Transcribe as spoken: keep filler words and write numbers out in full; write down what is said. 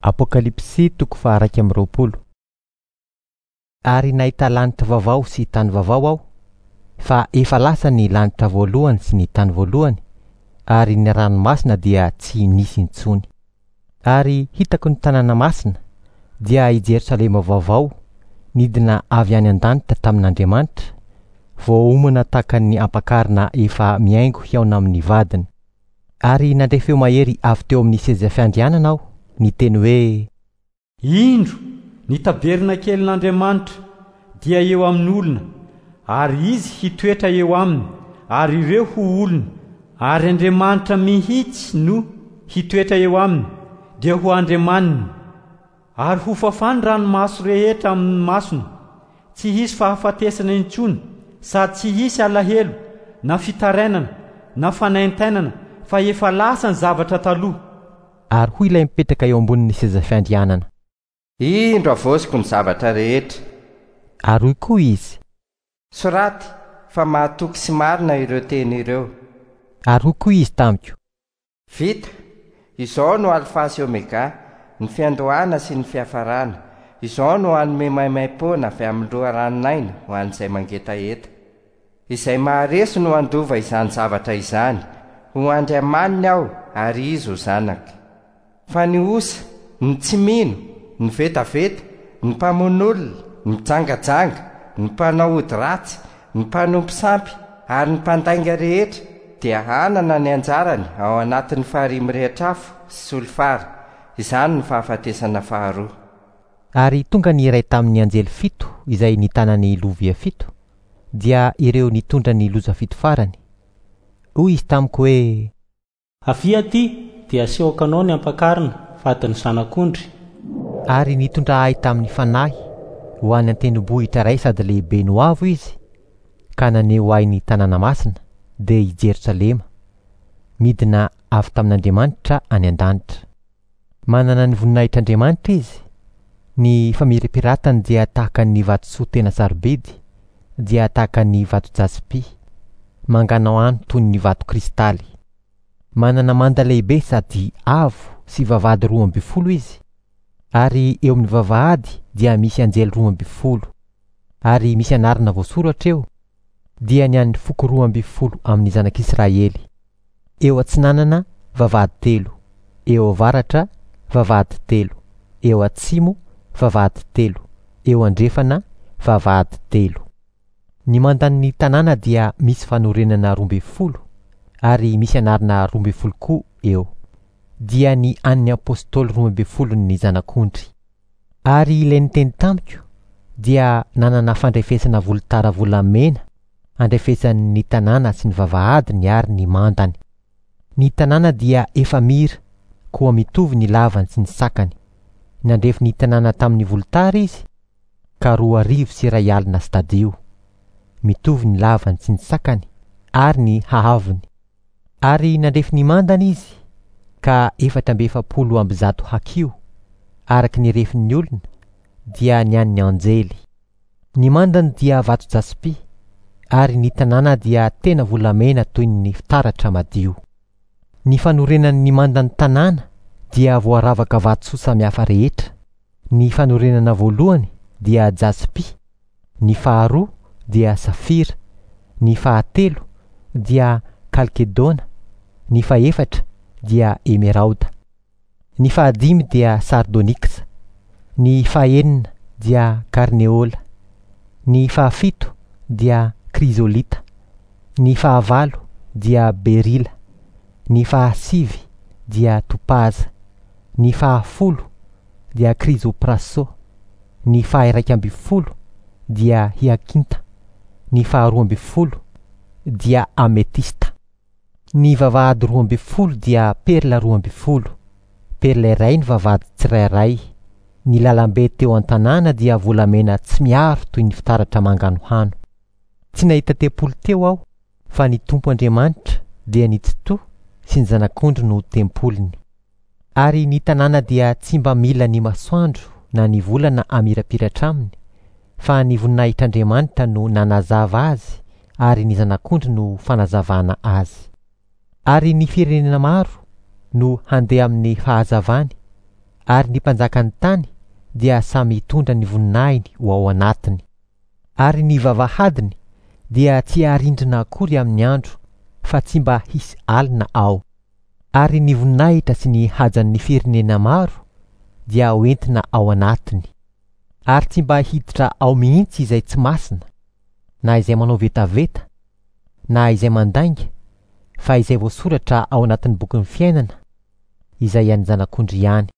Apokalypsy toko faha-iraika amby roapolo. Ary nahita lanitra vaovao sy tany vaovao aho, fa efa lasa ny lanitra voalohany sy ny tany voalohany, ary ny ranomasina dia tsy nisy intsony. Ary hitako ny tanàna masina, dia i Jerosalema vaovao, nidina avy any an-danitra tamin'Andriamanitra, voaomana tahaka ny ampakarina efa mihaingo hihaona amin'ny vadiny. Ary nandre feo mahery avy teo amin'ny seza fiandrianana aho, niteny hoe: Indro, ny tabernakelin'Andriamanitra dia eo amin'ny olona, ary izy hitoetra eo aminy, ary ireo ho olony, ary Andriamanitra mihitsy no hitoetra eo aminy, dia ho Andriamaniny. Ary ho fafany ranomaso rehetra amin'ny masony, tsy hisy fahafatesana intsony, sady tsy hisy alahelo, na fitarainana, na fanaintainana, fa efa lasa ny zavatra taloha. Ary hoy ilay mipetraka eo ambonin'ny seza fiandrianana: Indro havaoziko ny zavatra rehetra. Ary hoy koa izy: Soraty fa mahatoky sy marina ireo teny ireo. Ary hoy koa izy tamiko: Vita, izao no Alfa sy Omega, ny fiandohana sy ny fiafarana. Izao no hanome maimaimpoana avy amin'ny loharanon'aina ho an'izay mangetaheta. Izay maharesy no handova izany zavatra izany. Ho Andriamaniny aho ary izy ho zanaka. Fa ny osa, ny tsy mino, ny vetaveta, ny mpamono olona, ny mpijangajanga, ny mpanao ody ratsy, ny mpanompo sampy ary ny mpandainga rehetra dia hanana ny anjarany ao anatin'ny farihy mirehitra afo sy solifara. Izany ny fahafatesana faharoa. Ary tonga ny iray tamin'ny anjely fito izay nitana ny lovia fito, dia ireo nitondra ny loza fito farany. Hoy izy tamiko hoe: Avia aty, dia asehoko anao ny ampakarina, vadin'ny zanak'ondry. Ary nitondra ahy tamin'ny fanahy ho any an-tendrombohitra iray sady lehibe no avo izy, ka naneho ahy ny tanàna masina, dia i Jerosalema, midina avy tamin'Andriamanitra any an-danitra. Manana ny voninahitr'Andriamanitra izy. Ny famirapiratany dia tahaka ny vatosoa tena sarobidy, dia tahaka ny vato jaspy, manganohano toy ny vato kristaly. Manana manda lehibe sady avo sy vavahady roa amby folo izy, ary eo amin'ny vavahady dia misy anjely roa amby folo, ary misy anarana voasoratra eo, dia ny an'ny foko roa amby folo amin'ny zanak'Israely. Eo atsinanana vavahady telo, eo avaratra vavahady telo, eo atsimo vavahady telo, eo andrefana vavahady telo. Ny mandan'ny tanàna dia misy fanorenana roa amby folo, ary misy anarana roa amby folo koa eo, dia ny an'ny apôstôly roa amby folon'ny zanak'ondry. Ary ilay niteny tamiko dia nanana fandrefesana volotara volamena andrefesan'ny tanàna sy ny vavahadiny ary ny mandany. Ny tanàna dia efamira, koa mitovy ny lavany sy ny sakany. Nandrefy ny tanàna tamin'ny volotara izy, ka roa arivo sy iray alina stadio. Mitovy ny lavany sy ny sakany ary ny haavony. Ary nandrefy ny mandany izy, ka efatra amby efapolo amby zato hakiho, araka ny refin'ny olona, dia ny an'ny anjely. Ny mandany dia vato jaspy, ary ny tanàna dia tena volamena toy ny fitaratra madio. Ny fanorenan'ny mandan'ny tanàna dia voaravaka vatosoa samihafa rehetra. Ny fanorenana voalohany dia jaspy, ny faharoa dia safira, ny fahatelo dia kalkedona, ny fahefatra dia emerauda, ny fahadimy dia sardoniksa, ny fahenina dia karneola, ny fahafito dia krizolita, ny fahavalo dia berila, ny fahasivy dia topaza, ny fahafolo dia krizopraso, ny faha-iraika amby folo dia hiakinta, ny faharoa amby folo dia ametista. Ny vavahady roa amby folo dia perla roa amby folo, perla iray ny vavahady tsirairay. Ny lalambe teo an-tanàna dia volamena tsy miaro toy ny fitaratra manganohano. Tsy nahita tempoly teo aho, fa ny Tompo Andriamanitra dia ny Tsitoha sy ny zanak'ondry no tempoliny. Ary ny tanàna dia tsy mba mila ny masoandro na ny volana hamirapiratra aminy, fa ny voninahitr'Andriamanitra no nanazava azy, ary ny zanak'ondry no fanazavana azy. Ary ny firenena maro no handeha amin'ny fahazavany, Ary ny mpanjakan'ny tany dia samy hitondra ny voninahiny ho ao anatiny. Ary ny vavahadiny dia tsy harindrina akory amin'ny andro, fa tsy mba hisy alina ao. Ary ny voninahitra sy ny hajan'ny firenena maro dia hoentina ao anatiny. Ary tsy mba hiditra ao mihitsy izay tsy masina, na izay manao vetaveta, na izay mandainga, fa izay voasoratra ao anatin'ny bokin'ny fiainana, izay an'ny Zanak'ondry ihany.